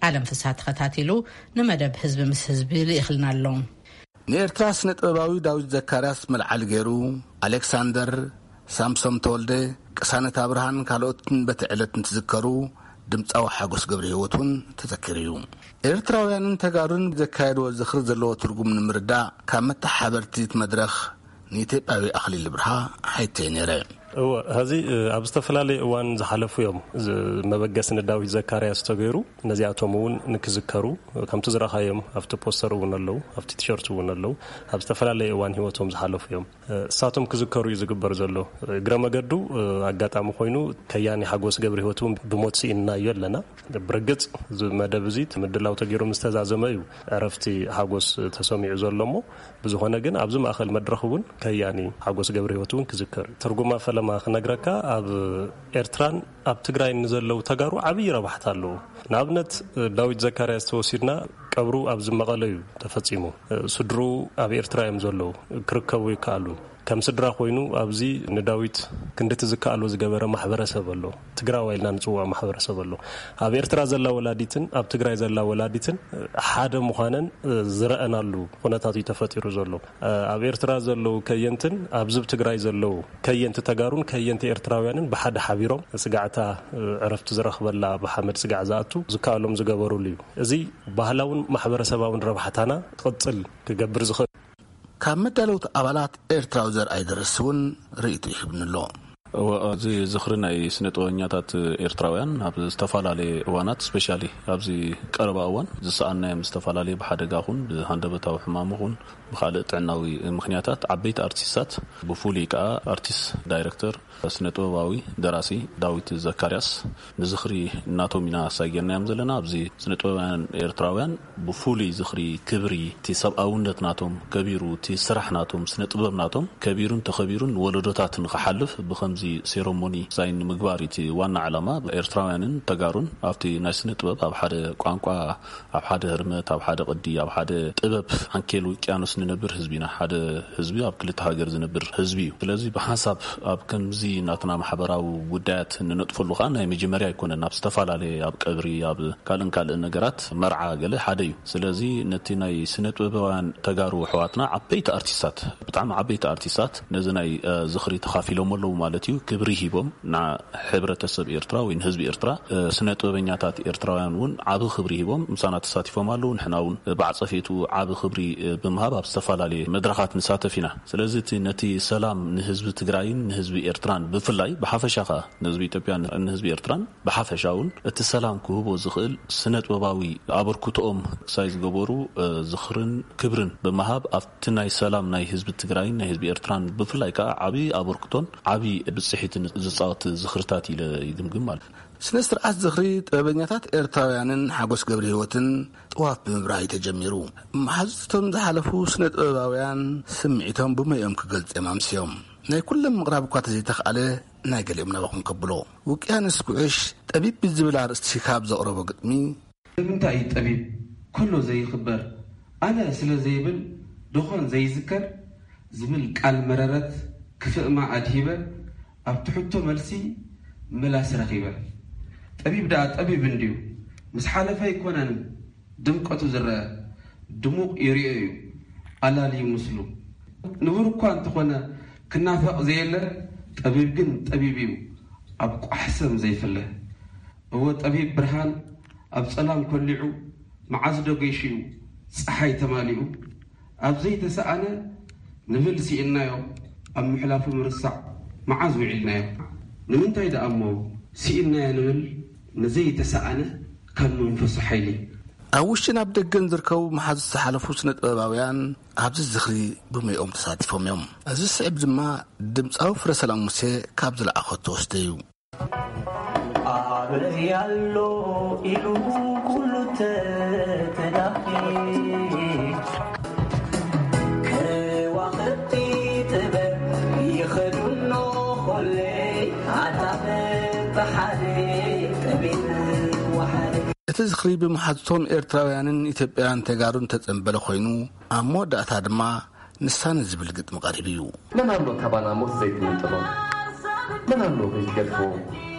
ኣለም ፍስሃ ተኸታቲሉ ንመደብ ህዝቢ ምስ ህዝቢ ልኢኽልና ኣሎ። ንኤርትራ ስነ ጥበባዊ ዳዊት ዘካርያስ መልዓሊ ገይሩ፣ ኣሌክሳንደር፣ ሳምሶም ተወልደ፣ ቅሳነት ኣብርሃን ካልኦትን በቲ ዕለት እንትዝከሩ፣ ድምጻዊ ሓጎስ ገብረ ህይወት እውን ተዘኪሩ እዩ። ኤርትራውያንን ተጋሩን ዘካየድዎ ዝኽሪ ዘለዎ ትርጉም ንምርዳእ ካብ መተሓበርቲ እቲ መድረኽ ንኢትዮጵያዊ ኣኽሊል ብርሃ ሓይተይ ነይረ። እወ፣ ሕዚ፣ እ፣ ኣብ ዝተፈላለየ እዋን ዝሓለፉ እዮም። ዝ-፣ መበገሲ ንዳዊት ዘካርያስ ተገይሩ፣ ነዚኣቶም እውን ንክዝከሩ፣ ከምቲ ዝረኻዮም ኣብቲ ፖስተር እውን ኣለዉ፣ ኣብቲ ቲሸርት እውን ኣለዉ። ኣብ ዝተፈላለየ እዋን ህይወቶም ዝሓለፉ እዮም። እ፣ እሳቶም ክዝከሩ እዩ ዝግበር ዘሎ። እግረ መገዱ፣ እ፣ ኣጋጣሚ ኮይኑ ከያኒ ሓጎስ ገብረ ህይወት እውን ብሞት ስኢንናዮ ኣለና። ብርግጽ እዚ መደብ እዚ ምድላው ተገይሩ ምስ ተዛዘመ እዩ ዕረፍቲ ሓጎስ ተሰሚዑ ዘሎ እሞ፣ ብዝኾነ ግን ኣብዚ ማእኸል መድረኽ እውን ከያኒ ሓጎስ ገብረ ህይወት እውን ክዝከር እዩ። ትርጉማ ፈለማ ክነግረካ፣ ኣብ ኤርትራን ኣብ ትግራይን ንዘለዉ ተጋሩ ዓብዪ ረባሕታ ኣለዎ። ንኣብነት ዳዊት ዘካርያስ ተወሲድና ቀብሩ ኣብዚ መቐለ እዩ ተፈጺሙ። ስድርኡ ኣብ ኤርትራ እዮም ዘለዉ፣ ክርከቡ ይከኣሉ። ከም ስድራ ኮይኑ ኣብዚ ንዳዊት ክንድቲ ዝከኣሎ ዝገበረ ማሕበረሰብ ኣሎ። ትግራዋይ ኢልና ንጽውዖ ማሕበረሰብ ኣሎ። ኣብ ኤርትራ ዘላ ወላዲትን ኣብ ትግራይ ዘላ ወላዲትን ሓደ ምዃነን ዝረኣናሉ ኩነታት እዩ ተፈጢሩ ዘሎ። ኣብ ኤርትራ ዘለዉ ከየንትን ኣብዚ ኣብ ትግራይ ዘለዉ ከየንቲ ተጋሩን ከየንቲ ኤርትራውያንን ብሓደ ሓቢሮም ስጋዕታ ዕረፍቲ ዝረኽበላ ብሓመድ ስጋዕ ዝኣቱ ዝከኣሎም ዝገበሩሉ እዩ። እዚ ባህላውን ማሕበረሰባውን ረብሓታና ክቕጽል ክገብር ዝኽእል ካብ መዳለውቲ ኣባላት ኤርትራዊ ዘርኣይ ደረስ እውን ርእይቶ ይህብኒ ኣሎ። እወ፣ እዚ ዝኽሪ ናይ ስነ ጥበበኛታት ኤርትራውያን ኣብ ዝተፈላለየ እዋናት፣ ስፔሻሊ ኣብዚ ቀረባ እዋን ዝሰኣናዮም ዝተፈላለየ ብሓደጋ ኹን ብሃንደበታዊ ሕማም ኹን ብኻልእ ጥዕናዊ ምኽንያታት ዓበይቲ ኣርቲስታት፣ ብፍሉይ ከኣ ኣርቲስት ዳይሬክተር ስነ ጥበባዊ ደራሲ ዳዊት ዘካርያስ ንዝኽሪ እናቶም ኢና ኣሳጊርናዮም ዘለና። ኣብዚ ስነ ጥበባውያን ኤርትራውያን ብፍሉይ ዝኽሪ፣ ክብሪ፣ እቲ ሰብኣውነት ናቶም ከቢሩ፣ እቲ ስራሕ ናቶም፣ ስነ ጥበብ ናቶም ከቢሩን ተኸቢሩን ንወለዶታት ንኽሓልፍ ብኸምዚ ሴረሞኒ ሳይን ንምግባር እቲ ዋና ዕላማ። ኤርትራውያንን ተጋሩን ኣብቲ ናይ ስነ ጥበብ ኣብ ሓደ ቋንቋ፣ ኣብ ሓደ ህርመት፣ ኣብ ሓደ ቅዲ፣ ኣብ ሓደ ጥበብ ዓንኬል ውቅያኖስ ንነብር ህዝቢ ኢና። ሓደ ህዝቢ ኣብ ክልተ ሃገር ዝነብር ህዝቢ እዩ። ስለዚ ብሓንሳብ ኣብ ከምዚ ናትና ማሕበራዊ ጉዳያት ንነጥፈሉ ከኣ ናይ መጀመርያ ኣይኮነን። ኣብ ዝተፈላለየ፣ ኣብ ቀብሪ፣ ኣብ ካልእን ካልእን ነገራት፣ መርዓ ገለ ሓደ እዩ። ስለዚ ነቲ ናይ ስነ ጥበባውያን ተጋሩ ኣሕዋትና ዓበይቲ ኣርቲስታት፣ ብጣዕሚ ዓበይቲ ኣርቲስታት ነዚ ናይ፣ እ፣ ዝኽሪ ተኻፊሎም ኣለዉ ማለት እዩ። ክብሪ ሂቦም ንሕብረተሰብ ኤርትራ ወይ ንህዝቢ ኤርትራ፣ እ፣ ስነ ጥበበኛታት ኤርትራውያን እውን ዓቢ ክብሪ ሂቦም ምሳና ተሳቲፎም ኣለዉ። ንሕና እውን ብዓጸፌቱ ዓቢ ክብሪ፣ እ፣ ብምሃብ ኣብ ዝተፈላለየ መድረኻት ንሳተፍ ኢና። ስለዚ እቲ ነቲ ሰላም ንህዝቢ ትግራይን ንህዝቢ ኤርትራን ብፍላይ ብሓፈሻ ከኣ ንህዝቢ ኢትዮጵያን ንህዝቢ ኤርትራን ብሓፈሻ እውን እቲ ሰላም ክህቦ ዝኽእል ስነ ጥበባዊ ኣበርክቶኦም ክሳይ ዝገበሩ፣ እ፣ ዝኽርን ክብርን ብምሃብ ኣብቲ ናይ ሰላም ናይ ህዝቢ ትግራይን ናይ ህዝቢ ኤርትራን ብፍላይ ከኣ ዓቢ ኣበርክቶን ዓቢ ብጽሒትን ዝጻወት ዝኽርታት ኢለ ይግምግም ማለት እዩ። ስነ ስርዓት ዝኽሪ ጥበበኛታት ኤርትራውያንን ሓጎስ ገብረ ህይወትን ጥዋፍ ብምብራህ እዩ ተጀሚሩ። መሓዙቶም ዝሓለፉ ስነ ጥበባውያን ስምዒቶም ብመይኦም ክገልጹ እዮም ኣምስዮም። ናይ ኩሎም ምቕራብ እኳ ተዘይተኽኣለ፣ ናይ ገሊኦም ናባኹም ከብሎ። ውቅያኖስ ጉዕሽ ጠቢብ ብዝብል ኣርእስቲ ካብ ዘቕረቦ ግጥሚ፣ ንምንታይ እዩ ጠቢብ ከሎ ዘይኽበር፣ ኣነ ስለ ዘይብል ደኾን ዘይዝከር ዝብል ቃል መረረት ክፍእማ ኣድሂበ፣ ኣብቲ ሕቶ መልሲ ምላስ ረኺበ። ጠቢብ ደኣ ጠቢብ እንድዩ፣ ምስ ሓለፈ ኣይኮነን ድምቀቱ ዝረአ፣ ድሙቕ ይርኦ እዩ ኣላልዩ ምስሉ። ንቡር እኳ እንተኾነ ክናፈቕ ዘየለ፣ ጠቢብ ግን ጠቢብ እዩ ኣብ ቋሕ ሰም ዘይፍለ። እወ ጠቢብ ብርሃን ኣብ ጸላም ኮሊዑ፣ መዓዝ ዶ ገይሹ እዩ ጸሓይ ተማሊኡ? ኣብ ዘይተሰኣነ ንብል ስኢንናዮ፣ ኣብ ምሕላፉ ምርሳዕ መዓዝ ውዒልናዮ? ንምንታይ ደኣ እሞ ስኢንናዮ ንብል ንዘይተሰኣነ ካብ መንፈሱ ሓይሊ? ኣብ ውሽጥን ኣብ ደገን ዝርከቡ መሓዙት ዝሓለፉ ስነ ጥበባውያን ኣብዚ ዝኽሪ ብመይኦም ተሳቲፎም እዮም። እዚ ስዕብ ድማ ድምፃዊ ፍረ ሰላም ሙሴ ካብ ዝለዓኾ ተወስደ እዩ። ኣበይ ኣሎ ኢሉ ኩሉ ተተዳኺ፣ ከዋኽብቲ ጥበብ ይኸዱኖ ኾለይ፣ ኣታ በብሓደ ጠቢብ ወሓደ። እቲ ዝኽሪ ብመሓዙቶም ኤርትራውያንን ኢትዮጵያውያን ተጋሩን ተጸንበለ ኮይኑ፣ ኣብ መወዳእታ ድማ ንሳነ ዝብል ግጥሚ ቀሪቡ እዩ። መን ኣሎ ካባና ሞት ዘይትምንጥሎ? መን ኣሎ ዘይትገድፎ?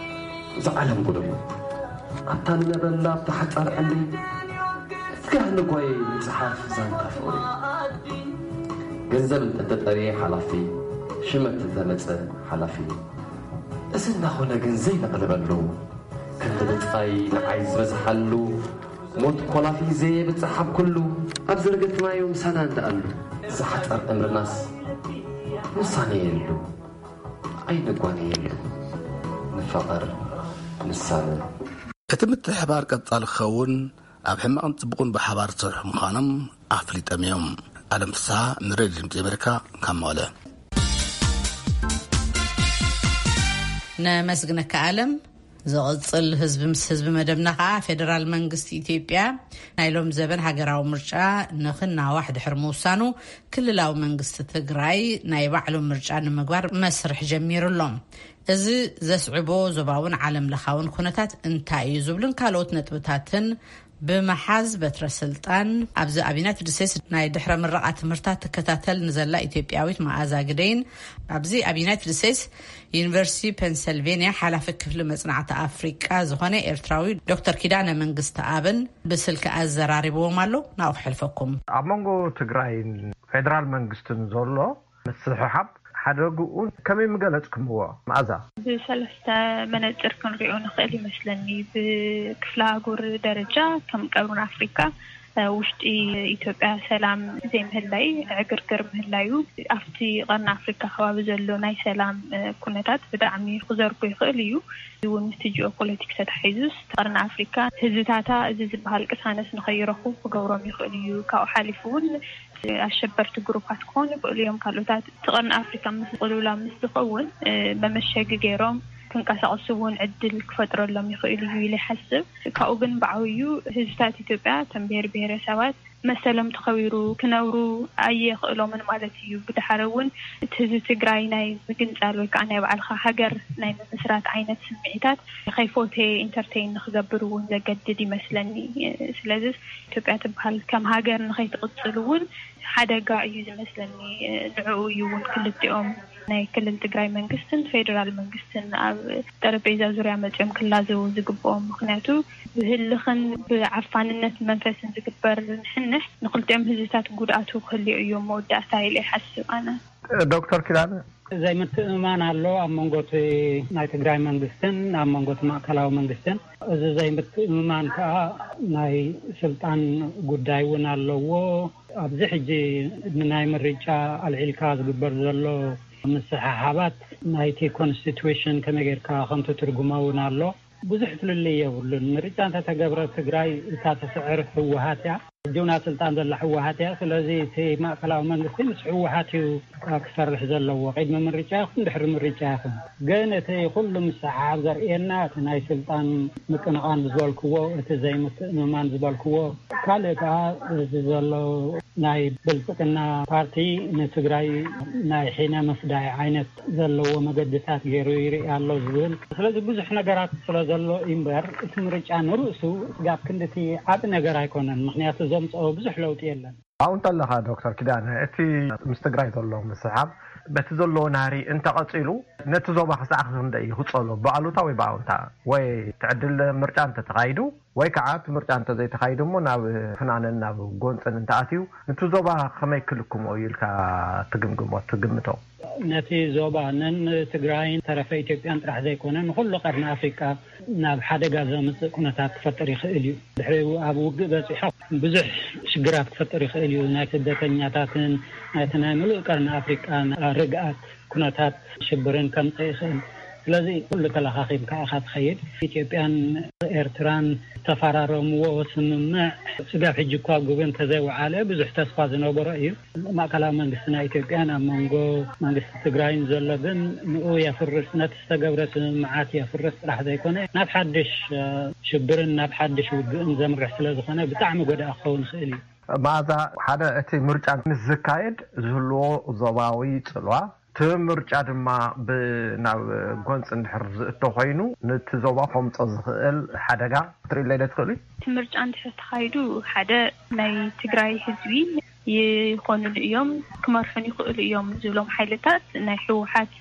እዚ ዓለም ጉድ እሞ ኣብታ ንነበላ ኣብታ ሓጻር ዕምሪ፣ ፍጋህ ንጓየ ምጽሓፍ ዛንታ ፍቕሪ። ገንዘብ እንተተጠርየ ሓላፊ፣ ሽመት እንተመጸ ሓላፊ። እዚ እናኾነ ግን ዘይነቕልበሉ፣ ክንዲ ብጻይ ንዓይ ዝበዝሓሉ፣ ሞት ኮላፊ ዘየብጽሕ ኣብ ኩሉ፣ ኣብ ዝረገጽናዮ ምሳና እንደኣሉ። እዚ ሓጻር ዕምርናስ ምሳኔ የሉ፣ ኣይንጓነ የሉ። ንፋቐር፣ ንሳነ። እቲ ምትሕባር ቀጻሊ ክኸውን፣ ኣብ ሕማቕን ጽቡቕን ብሓባር ዝሰርሑ ምዃኖም ኣፍሊጦም እዮም። ኣለም ፍስሃ፣ ንሬድዮ ድምጺ ኣሜሪካ፣ ካብ መቐለ። ነመስግነካ ኣለም። ዝቕጽል ህዝቢ ምስ ህዝቢ መደብና ከኣ፣ ፌደራል መንግስቲ ኢትዮጵያ ናይ ሎም ዘበን ሃገራዊ ምርጫ ንኽናዋሕ ድሕሪ ምውሳኑ፣ ክልላዊ መንግስቲ ትግራይ ናይ ባዕሉ ምርጫ ንምግባር መስርሕ ጀሚሩ ኣሎ። እዚ ዘስዕቦ ዞባውን ዓለም ለኻውን ኩነታት እንታይ እዩ ዝብሉን ካልኦት ነጥብታትን ብምሓዝ፣ በትረ ስልጣን ኣብዚ ኣብ ዩናይትድ ስቴትስ ናይ ድሕረ ምረቓ ትምህርታት ትከታተል ንዘላ ኢትዮጵያዊት መኣዛ ግደይን፣ ኣብዚ ኣብ ዩናይትድ ስቴትስ ዩኒቨርሲቲ ፔንሰልቬንያ ሓላፊ ክፍሊ መጽናዕቲ ኣፍሪቃ ዝኾነ ኤርትራዊ ዶክተር ኪዳነ መንግስቲ ኣብን ብስልኪ ኣዘራሪብዎም ኣሎ። ናብኡ ክሕልፈኩም። ኣብ መንጎ ትግራይን ፌደራል መንግስትን ዘሎ ምስሕሓብ ሓደግኡ ከመይ ምገለጽኩምዎ? መኣዛ። ብሰለስተ መነጽር ክንሪኦ ንኽእል ይመስለኒ። ብክፍለ ኣህጉር ደረጃ ከም ቀርኒ ኣፍሪካ፣ እ፣ ውሽጢ ኢትዮጵያ ሰላም ዘይምህላይ፣ ዕግርግር ምህላዩ ኣብቲ ቀርኒ ኣፍሪካ ከባቢ ዘሎ ናይ ሰላም፣ እ፣ ኩነታት ብጣዕሚ ክዘርጎ ይኽእል እዩ። እዚ እውን ምስቲ ጂኦፖለቲክስ ተታሒዙስ ቀርኒ ኣፍሪካ ህዝብታታ እዚ ዝበሃል ቅሳነት ንኸይረኽቡ ክገብሮም ይኽእል እዩ። ካብኡ ሓሊፉ እውን ኣሸበርቲ ግሩፓት ክኾኑ ይኽእሉ እዮም። ካልኦታት እቲ ቀርኒ ኣፍሪካ ምስ ቅልውላው ምስ ዝኸውን፣ እ፣ መመሸጊ ገይሮም ክንቀሳቐሱ እውን ዕድል ክፈጥረሎም ይኽእል እዩ ኢለ ይሓስብ። ካብኡ ግን ብዓብዩ ህዝብታት ኢትዮጵያ፣ እቶም ብሄር ብሄረሰባት መሰሎም ተኸቢሩ ክነብሩ ኣየኽእሎምን ማለት እዩ። ብድሓረ እውን እቲ ህዝቢ ትግራይ ናይ ምግንፃል ወይ ከዓ ናይ ባዕልኻ ሃገር ናይ ምምስራት ዓይነት ስምዒታት ከይፎቴ ኢንተርቴይን ንክገብር እውን ዘገድድ ይመስለኒ። ስለዚ ኢትዮጵያ ትበሃል ከም ሃገር ንኸይትቕፅል እውን ሓደጋ እዩ ዝመስለኒ። ንዕኡ እዩ እውን ክልቲኦም ናይ ክልል ትግራይ መንግስትን ፌዴራል መንግስትን ኣብ ጠረጴዛ ዙርያ መፅዮም ክላዘቡ ዝግብኦም። ምክንያቱ ብህልኽን ብዓፋንነት መንፈስን ዝግበር ንሕንሕ ንክልቲኦም ህዝብታት ጉድኣቱ ክህልዮ እዩ መወዳእታ ኢለ ይሓስብ ኣነ። ዶክተር ኪዳነ። ዘይምትእምማን ኣሎ ኣብ መንጎ እቲ ናይ ትግራይ መንግስትን ኣብ መንጎ እቲ ማእከላዊ መንግስትን። እዚ ዘይምትእምማን ከዓ ናይ ስልጣን ጉዳይ እውን ኣለዎ። ኣብዚ ሕጂ ንናይ ምርጫ ኣልዒልካ ዝግበር ዘሎ ምስሕሓባት ናይቲ ኮንስቲቱሽን ከመይ ጌርካ ከም ትትርጉሞ እውን ኣሎ። ብዙሕ ፍልልይ የብሉን። ምርጫ እንተተገብረ ትግራይ እታ ትስዕር ህወሓት እያ። ጅውና ስልጣን ዘላ ህወሓት እያ። ስለዚ እቲ ማእከላዊ መንግስቲ ምስ ህወሓት እዩ ክሰርሕ ዘለዎ፣ ቅድሚ ምርጫ ይኹን ድሕሪ ምርጫ ይኹን። ግን እቲ ኩሉ ምስሓብ ዘርእየና እቲ ናይ ስልጣን ምቅንቓን ዝበልክዎ፣ እቲ ዘይምትእምማን ዝበልክዎ፣ ካልእ ከዓ እዚ ዘሎ ናይ ብልፅግና ፓርቲ ንትግራይ ናይ ሒነ ምፍዳይ ዓይነት ዘለዎ መገድታት ገይሩ ይርኢ ኣሎ ዝብል። ስለዚ ብዙሕ ነገራት ስለ ዘሎ እዩ እምበር፣ እቲ ምርጫ ንርእሱ ስጋብ ክንድቲ ዓቢ ነገር ኣይኮነን። ምክንያቱ ዘምፅኦ ብዙሕ ለውጢ የለን። ኣብኡ እንተለኻ ዶክተር ኪዳነ፣ እቲ ምስ ትግራይ ዘሎ ምስሓብ በቲ ዘሎ ናህሪ እንተቐፂሉ ነቲ ዞባ ክሳዕ ክንደይ ይኽፀሎ፣ ብኣሉታ ወይ ብኣውንታ? ወይ ትዕድል ምርጫ እንተተኻይዱ ወይ ከዓ እቲ ምርጫ እንተዘይተኻይዱ እሞ ናብ ፍናንን ናብ ጎንፅን እንተኣትዩ፣ ነቲ ዞባ ከመይ ክልክሞ እዩ ኢልካ ትግምግሞ፣ ትግምቶ? ነቲ ዞባ ነን ትግራይን ተረፈ ኢትዮጵያን ጥራሕ ዘይኮነ ንኩሉ ቀርኒ ኣፍሪቃ ናብ ሓደጋ ዘምፅእ ኩነታት ክፈጥር ይኽእል እዩ። ድሕሪኡ ኣብ ውግእ በፂሖ ብዙሕ ሽግራት ክፈጥር ይኽእል እዩ። ናይ ስደተኛታትን ናይቲ ናይ ምሉእ ቀርኒ ኣፍሪቃ ርግኣት ኩነታት ሽብርን ከምፅእ ይኽእል። ስለዚ ኩሉ ተለኻኺምካ ኢኻ ትኸይድ። ኢትዮጵያን ኤርትራን ዝተፈራረምዎ ስምምዕ ስጋብ ሕጂ እኳ ግብሪ እንተዘይወዓለ ብዙሕ ተስፋ ዝነበሮ እዩ። ማእከላዊ መንግስቲ ናይ ኢትዮጵያን ኣብ መንጎ መንግስቲ ትግራይን ዘሎ ግን ንኡ የፍርስ፣ ነቲ ዝተገብረ ስምምዓት የፍርስ ጥራሕ ዘይኮነ ናብ ሓድሽ ሽብርን ናብ ሓድሽ ውግእን ዘምርሕ ስለ ዝኾነ ብጣዕሚ ጎዳኢ ክኸውን ይኽእል እዩ። መኣዛ፣ ሓደ እቲ ምርጫ ምስ ዝካየድ ዝህልዎ ዞባዊ ጽልዋ፣ እቲ ምርጫ ድማ ናብ ጎንፂ እንድሕር ዝእቶ ኮይኑ ነቲ ዞባ ከምፆ ዝኽእል ሓደጋ ክትርእይለይ ዶ ትኽእሉ? እቲ ምርጫ እንድሕር ተኻይዱ ሓደ ናይ ትግራይ ህዝቢ ይኾኑሉ እዮም፣ ክመርሑን ይኽእሉ እዮም ዝብሎም ሓይልታት ናይ ህወሓት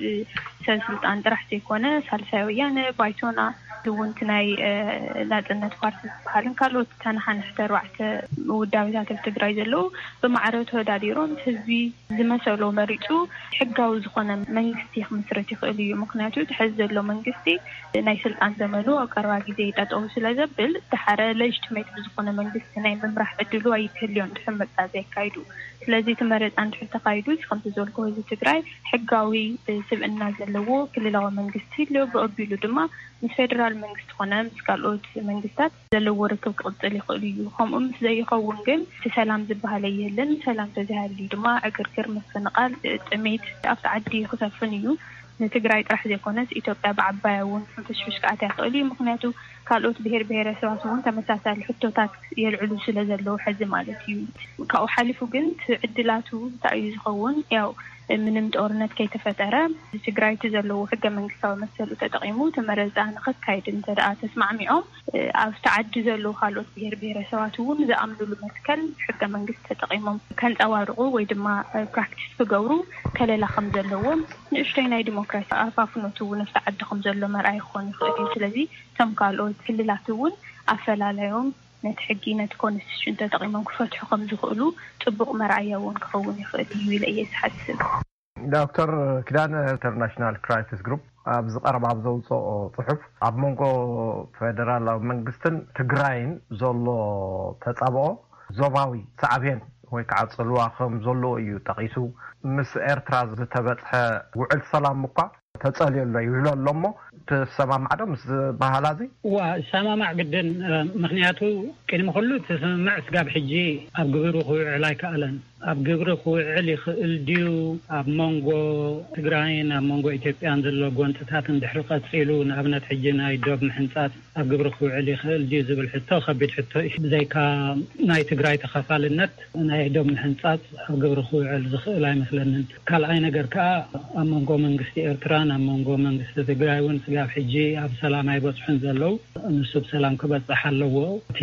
ሰብ ስልጣን ጥራሕ ዘይኮነ ሳልሳይ ወያነ፣ ባይቶና፣ እውን እቲ ናይ ናፅነት ፓርቲ ዝበሃልን ካልኦት ተነሓንሕቲ ኣርባዕተ ውዳቤታት ኣብ ትግራይ ዘለዉ ብማዕረ ተወዳዲሮም ህዝቢ ዝመሰሎ መሪፁ ሕጋዊ ዝኾነ መንግስቲ ክምስረት ይኽእል እዩ። ምክንያቱ እቲ ሕዚ ዘሎ መንግስቲ ናይ ስልጣን ዘመኑ ኣብ ቀረባ ግዜ ጠጠው ስለ ዘብል፣ ድሓረ ለጅትሜት ብዝኾነ መንግስቲ ናይ ምምራሕ ዕድሉ ኣይክህልዮን ድሕሪ ምርጫ ዘየካይዱ። ስለዚ እቲ መረፃ እንድሕር ተካይዱ፣ ከምቲ ዝበልኩ ህዝቢ ትግራይ ሕጋዊ ስብእና ዘለዎ ክልላዊ መንግስቲ ኣሎ። ብቐቢሉ ድማ ምስ ፌደራል መንግስቲ ኮነ ምስ ካልኦት መንግስታት ዘለዎ ርክብ ክቕፅል ይኽእል እዩ። ከምኡ ምስ ዘይኸውን ግን እቲ ሰላም ዝበሃል የለን። ሰላም ተዘይሃልዩ ድማ ዕግርግር፣ ምፍንቓል፣ ጥሜት ኣብቲ ዓዲ ክሰፍን እዩ። ንትግራይ ጥራሕ ዘይኮነስ ኢትዮጵያ ብዓባያ እውን ሕንፍሽፍሽ ክኣትያ ይኽእል እዩ። ምክንያቱ ካልኦት ብሄር ብሄረሰባት እውን ተመሳሳሊ ሕቶታት የልዕሉ ስለ ዘለዉ ሕዚ ማለት እዩ። ካብኡ ሓሊፉ ግን እቲ ዕድላቱ እንታይ እዩ ዝኸውን? ያው ምንም ጦርነት ከይተፈጠረ ትግራይ እቲ ዘለዎ ሕገ መንግስታዊ መሰሉ ተጠቒሙ እቲ መረፃ ንኸካይድ እንተ ደኣ ተስማዕሚዖም ኣብቲ ዓዲ ዘለዉ ካልኦት ብሄር ብሄረሰባት እውን ዝኣምኑሉ መትከል ሕገ መንግስቲ ተጠቒሞም ከንፀባርቑ ወይ ድማ ፕራክቲስ ክገብሩ ከለላ ከም ዘለዎም ንእሽተይ ናይ ዲሞክራሲ ኣፋፍኖት እውን ኣብቲ ዓዲ ከም ዘሎ መርኣይ ክኾን ይኽእል እዩ። ስለዚ እቶም ካልኦት ክልላት እውን ኣፈላላዮም ነቲ ሕጊ ነቲ ኮንስቲቱሽን ተጠቒሞም ክፈትሑ ከም ዝኽእሉ ፅቡቕ መርኣያ እውን ክኸውን ይኽእል እዩ ኢለ እየ ዝሓስብ። ዶክተር ኪዳነ፣ ኢንተርናሽናል ክራይሲስ ግሩፕ ኣብዚ ቀረባ ኣብ ዘውፅኦ ፅሑፍ ኣብ መንጎ ፌደራላዊ መንግስትን ትግራይን ዘሎ ተፃብኦ ዞባዊ ሳዕቤን ወይ ከዓ ፅልዋ ከም ዘለዎ እዩ ጠቒሱ። ምስ ኤርትራ ዝተበፅሐ ውዕል ሰላም እኳ ተፀልዮ ኣሎ ይብሎ ኣሎ እሞ ትሰማማዕ ዶ ምስ ዝበሃላ እዚ? እዋ፣ ሰማማዕ ግድን። ምክንያቱ ቅድሚ ኩሉ እቲ ስምምዕ ስጋብ ሕጂ ኣብ ግብሪ ክውዕል ኣይከኣለን። ኣብ ግብሪ ክውዕል ይኽእል ድዩ? ኣብ መንጎ ትግራይን ኣብ መንጎ ኢትዮጵያን ዘሎ ጎንፅታት እንድሕሪ ቀፂሉ፣ ንኣብነት ሕጂ ናይ ዶብ ምሕንፃፅ ኣብ ግብሪ ክውዕል ይኽእል ድዩ ዝብል ሕቶ ከቢድ ሕቶ እዩ። ብዘይካ ናይ ትግራይ ተኻፋልነት ናይ ዶብ ምሕንፃፅ ኣብ ግብሪ ክውዕል ዝኽእል ኣይመስለንን። ካልኣይ ነገር ከዓ ኣብ መንጎ መንግስቲ ኤርትራን ኣብ መንጎ መንግስቲ ትግራይ እውን ስጋብ ሕጂ ኣብ ሰላም ኣይበፅሑን ዘለዉ። ንሱ ብሰላም ክበፅሕ ኣለዎ። እቲ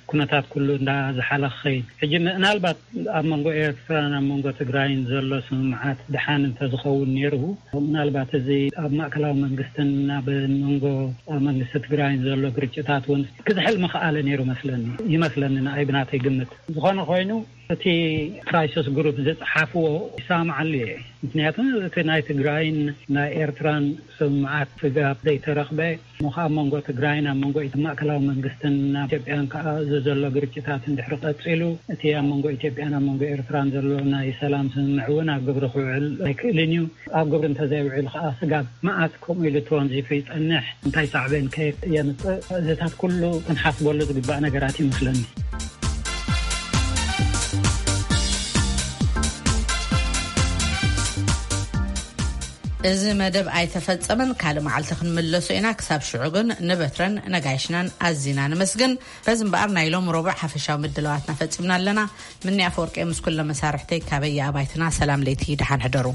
ኩነታት ኩሉ እንዳዝሓለ ክኸይድ። ሕጂ ምናልባት ኣብ መንጎ ኤርትራን ኣብ መንጎ ትግራይን ዘሎ ስምምዓት ድሓን እንተዝኸውን ነይሩ፣ ምናልባት እዚ ኣብ ማእከላዊ መንግስትን ኣብ መንጎ መንግስቲ ትግራይን ዘሎ ግርጭታት እውን ክዝሕል ምኽኣለ ነይሩ መስለኒ፣ ይመስለኒ ንኣይ ብናተይ ግምት። ዝኾነ ኮይኑ እቲ ክራይሲስ ግሩፕ ዝፀሓፍዎ ይሰማማዓሉ እየ። ምክንያቱ እቲ ናይ ትግራይን ናይ ኤርትራን ስምምዓት ስጋብ ዘይተረኽበ፣ እሞ ከኣ ኣብ መንጎ ትግራይን ኣብ መንጎ ማእከላዊ መንግስትን ኣብ ኢትዮጵያን ከኣ እዚ ዘሎ ግርጭታት እንድሕሪ ቀጺሉ፣ እቲ ኣብ መንጎ ኢትዮጵያን ኣብ መንጎ ኤርትራን ዘሎ ናይ ሰላም ስምምዕ እውን ኣብ ግብሪ ክውዕል ኣይክእልን እዩ። ኣብ ግብሪ እንተዘይውዕል ከኣ ስጋብ መዓስ ከምኡ ኢሉ ተወንዚፉ ይጸንሕ? እንታይ ሳዕቤን ከ የምጽእ? እዚታት ኩሉ ክንሓስበሉ ዝግባእ ነገራት ይመስለኒ። እዚ መደብ ኣይተፈጸመን፣ ካልእ መዓልቲ ክንምለሶ ኢና። ክሳብ ሽዑ ግን ንበትረን ነጋይሽናን ኣዚና ንመስግን። በዚ እምበኣር ናይ ሎም ረቡዕ ሓፈሻዊ ምድላዋትና ፈጺምና ኣለና። ምንያ ኣፈወርቂ ምስ ኩሎም መሳርሕተይ ካበይ ኣባይትና ሰላም ለይቲ፣ ደሓን ሕደሩ።